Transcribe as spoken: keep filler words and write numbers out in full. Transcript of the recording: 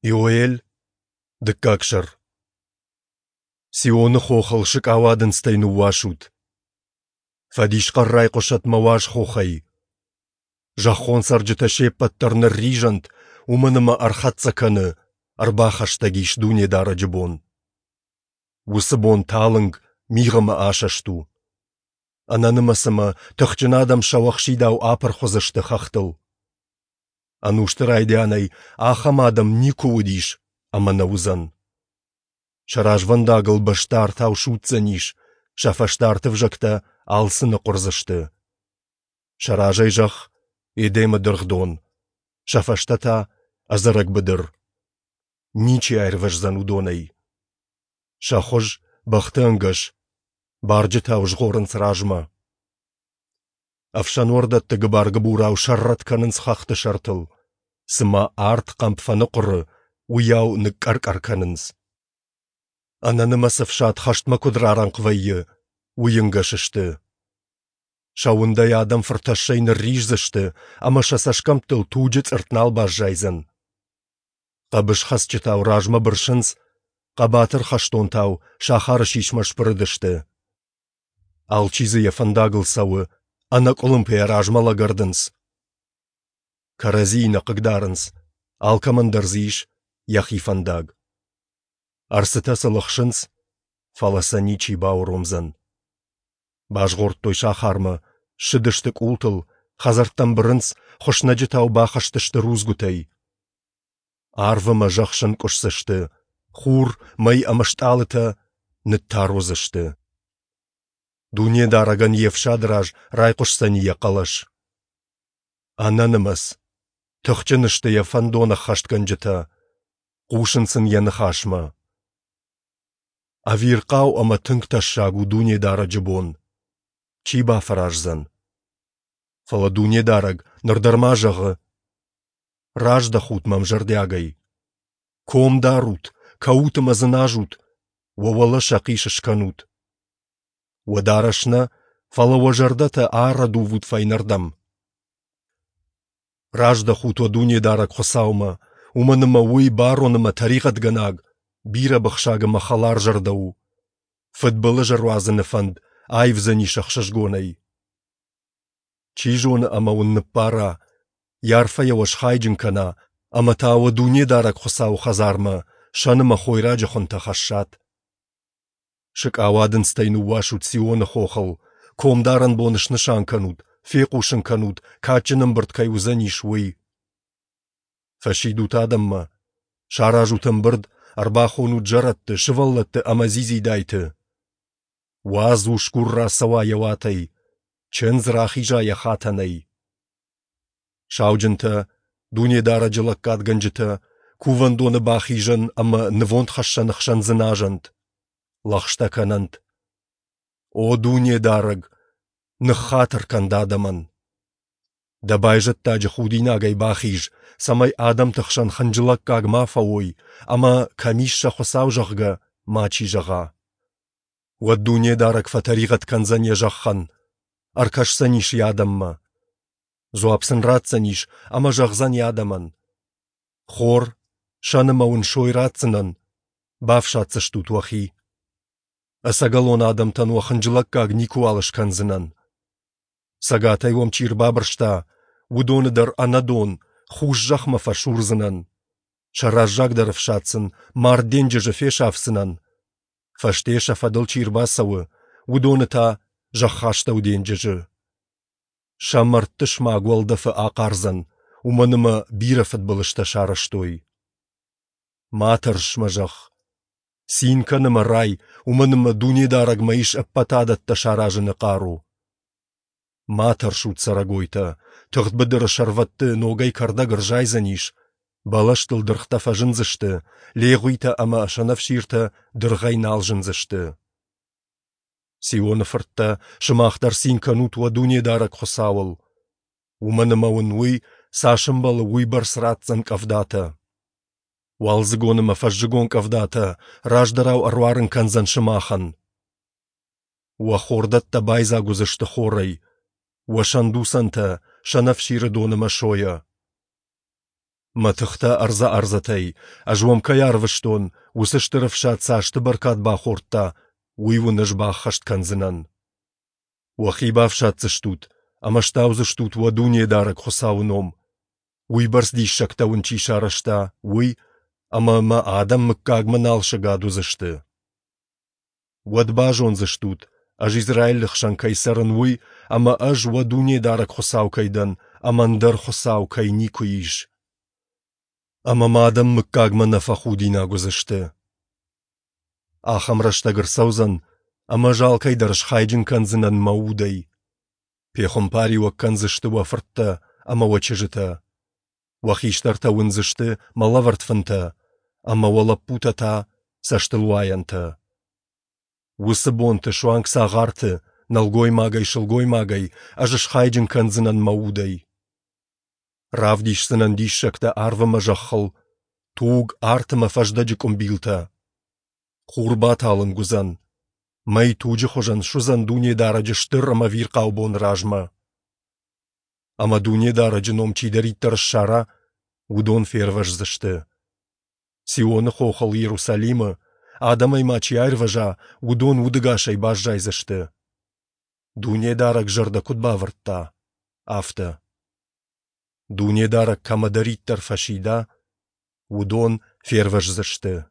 Иоэль, дыккаг сӕр. Сионы хохыл сыкъауадындзтӕй ныууасут. Фӕдисхъӕр райхъуысӕт мӕ уаз хохӕй. Зӕххон цӕрджытӕ се ппӕт дӕр нырризӕнт, уымӕн ӕмӕ ӕрхӕццӕ кӕны, ӕрбахӕстӕг ис Дунедарӕджы бон. Уыцы бон талынг, мигъ ӕмӕ асӕст у. Ӕнӕнымӕц ӕмӕ тыхджын адӕм сӕуӕхсидау апырх уыдзысты хӕхтыл. Ӕнусты райдианӕй ахӕм адӕм никуы уыдис ӕмӕ нӕ уыдзӕн. Сӕ развӕндагыл бӕстӕ артау судздзӕнис, сӕ фӕстӕ арты ӕвзӕгтӕ алцы ныхъуырдзысты. Сӕ разӕй зӕхх Едемы дыргъдон, сӕ фӕстӕ та ӕдзӕрӕг быдыр. Ничи аирвӕздзӕн уыдонӕй. Сӕ хуыз бӕхты ӕнгӕс, барджытау згъорынц размӕ. Ӕфсӕнуӕрдӕтты гыбар-гыбурау сӕррӕтт кӕнынц хӕхты сӕртыл, цыма арт хъӕмп фӕныхъуыры, уыйау ныкъкъӕр-къӕр кӕнынц. Ӕнӕнымӕц ӕфсад хӕстмӕ куыд рарӕнхъ вӕййы, уый ӕнгӕс сты. Сӕ уындӕй адӕм фыртӕссӕй нырриздзысты ӕмӕ сӕ цӕсгӕмттыл туджы цъыртт нал баззайдзӕн. Хъӕбысхӕцджытау размӕ бырсынц, хъӕбатыр хӕстонтау сахары сисмӕ сбырыдысты. Алчи дзы йӕ фӕндагыл цӕуы, ӕнӕкъуылымпыйӕ размӕ лӕгӕрдынц. Кӕрӕдзийы нӕ хъыгдарынц, алкӕмӕн дӕр дзы ис йӕхи фӕндаг. Ӕрцытӕ сыл ӕхсынц, фӕлӕ сӕ ничи бауромдзӕн. Базгъордтой сахармӕ, ссыдысты къултыл, хӕдзӕрттӕм бырынц, хуыснӕджытау бахызтысты рудзгуытӕй. Арв ӕмӕ зӕхх сӕнкъуысдзысты, хур, мӕй ӕмӕ стъалытӕ ныттар уыдзысты. Дунедарӕгӕн йе фсады раз райхъуысдзӕни йӕ хъӕлӕс. Ӕнӕнымӕц, тыхджын сты йӕ фӕндон ӕххӕстгӕнджытӕ, хъусынц ын йӕ ныхасмӕ. Ӕвирхъау ӕмӕ тынг тӕссаг у Дунедарӕджы бон. Чи бафӕраздзӕн? Фӕлӕ Дунедарӕг ныр дӕр ма зӕгъы: Раздӕхут мӕм зӕрдиагӕй. Ком дарут, кӕут ӕмӕ дзыназут, уӕ уӕлӕ сӕхъис скӕнут. Уӕ дарӕс нӕ, фӕлӕ уӕ зӕрдӕтӕ арӕдувут фӕйнӕрдӕм. Раздӕхут уӕ Дунедарӕг Хуыцаумӕ, уымӕн ӕмӕ Уый барон ӕмӕ тӕригъӕдгӕнаг, бирӕбыхсаг ӕмӕ хӕларзӕрдӕ у. Фыдбылыз ӕруадзыны фӕнд аивдзӕнис ӕхсызгонӕй. Чи зоны ӕмӕ уын ныббара, йӕ арфӕйӕ уӕ схайджын кӕна, ӕмӕ та уӕ Дунедарӕг Хуыцауы хӕдзармӕ сӕн ӕмӕ хойраджы хуынтӕ хӕссат. Сыкъауадындзтӕй ныууасут Сионы хохыл, комдарӕн бон снысан кӕнут, фехъусын кӕнут, кадджын ӕмбырд кӕй уыдзӕнис, уый. Фӕсидут адӕммӕ, саразут ӕмбырд, ӕрбахонут зӕрӕдты, сывӕллӕтты ӕмӕ дзидзидайты. Уадз усгур рацӕуа йӕ уатӕй, чындз рахиза йӕ хатӕнӕй. Сауджынтӕ, Дунедарӕджы лӕггадгӕнджытӕ, кувӕндоны бахизӕн ӕмӕ нывондхӕссӕны хсӕн дзыназӕнт, лӕгъстӕ кӕнӕнт. О Дунедарӕг, ныххатыр кӕн дӕ адӕмӕн! Дӕ байзӕддаджы худинагӕй бахиз, цӕмӕй адӕмты хсӕн хынджылӕггаг ма фӕуой ӕмӕ, кӕм ис сӕ Хуыцау, зӕгъгӕ, мачи зӕгъа. Уӕд Дунедарӕг фӕтӕригъӕд кӕндзӕн йӕ зӕххӕн, ӕркӕсдзӕнис йӕ адӕммӕ. Дзуапп сын ратдзӕнис ӕмӕ зӕгъдзӕн йӕ адӕмӕн: Хор, сӕн ӕмӕ уын сой ратдзынӕн, бафсаддзыстут уӕхи. Ӕцӕгӕлон адӕмтӕн уӕ хынджылӕггаг никуыуал скӕндзынӕн. Цӕгатӕй уӕм чи ӕрбабырста, уыдоны дӕр ӕнӕдон, хус зӕхмӕ фӕсурдзынӕн. Сӕ раззагдӕр ӕфсад сын мард денджызы фесафдзынӕн. Фӕсте сӕ фӕдыл чи ӕрбацӕуы, уыдоны та зӕххастӕу денджызы. Сӕ мӕрдты смаг уӕлдӕфы ахъардзӕн, уымӕн ӕмӕ бирӕ фыдбылызтӕ сарӕзтой. Ма тӕрс, мӕ зӕхх! Цин кӕн ӕмӕ рай, уымӕн ӕмӕ Дунедарӕгмӕ ис ӕппӕт адӕттӕ саразыны хъару. Ма тӕрсут, цӕрӕгойтӕ, тыгъд быдыры сӕрвӕтты ногӕй кӕрдӕг ӕрзайдзӕнис, бӕлӕстыл дыргътӕ фӕзындзысты, легъуитӕ ӕмӕ сӕнӕфсиртӕ дыргъӕй нал зындзысты. Сионы фырттӕ, сымах дӕр цин кӕнут уӕ Дунедарӕг Хуыцауыл, уымӕн ӕмӕ уын Уый, цас ӕмбӕлы, уыйбӕрц ратдзӕн къӕвдатӕ. Уалдзыгон ӕмӕ фӕззыгон къӕвдатӕ раздӕрау ӕруарын кӕндзӕн сымахӕн. Уӕ хордӕттӕ байдзаг уыдзысты хорӕй, уӕ сӕндуцӕнтӕ сӕнӕфсиры дон ӕмӕ сойӕ. Мӕ тыхтӕ ӕрдзӕ-ӕрдзӕтӕй, ӕз уӕм кӕй арвыстон, уыцы стыр ӕфсад цы азты бӕркад бахордта, уый уын ӕз баххӕст кӕндзынӕн. Уӕхи бафсаддзыстут ӕмӕ стаудзыстут уӕ Дунедарӕг Хуыцауы ном, уыйбӕрц диссӕгтӕ уын чи сарӕзта, уый, ӕмӕ мӕ адӕм мыггагмӕ нал сыгад уыдзысты. Уӕд базондзыстут, ӕз Израилы хсӕн кӕй цӕрын, уый, ӕмӕ ӕз уӕ Дунедарӕг Хуыцау кӕй дӕн, ӕмӕ ӕндӕр Хуыцау кӕй никуы ис. Ӕмӕ мӕ адӕм мыггагмӕ нӕ фӕхудинаг уыдзысты. Ахӕм рӕстӕг ӕрцӕудзӕн, ӕмӕ ӕз алкӕй дӕр схайджын кӕндзынӕн мӕ удӕй. Пехуымпариуӕг кӕндзысты уӕ фырттӕ ӕмӕ уӕ чызджытӕ. Уӕ хистӕртӕ уындзысты мӕ лӕвӕрд фынтӕ, ӕмӕ уӕ лӕппутӕ та цӕстылуайӕнтӕ. Уыцы бонты суанг цагъарты, нӕлгоймагӕй-сылгоймагӕй, ӕз схайджын кӕндзынӕн мӕ удӕй. Равдисдзынӕн диссӕгтӕ арв ӕмӕ зӕххыл, туг, арт ӕмӕ фӕздӕджы къуымбилтӕ. Хур баталынг уыдзӕн, мӕй туджы хуызӕн суыдзӕн Дунедарӕджы стыр ӕмӕ ӕвирхъау боны размӕ. Ӕмӕ Дунедарӕджы ном чидӕриддӕр ссара, уыдон фервӕздзысты. Сионы хохыл Иерусалимы, адӕмӕй ма чи аирвӕза, уыдон удӕгасӕй баззайдзысты. Дунедарӕг зӕрдӕ куыд бавӕрдта, афтӕ. Дунедарӕг кӕмӕдӕриддӕр фӕсида, уыдон фервӕздзысты.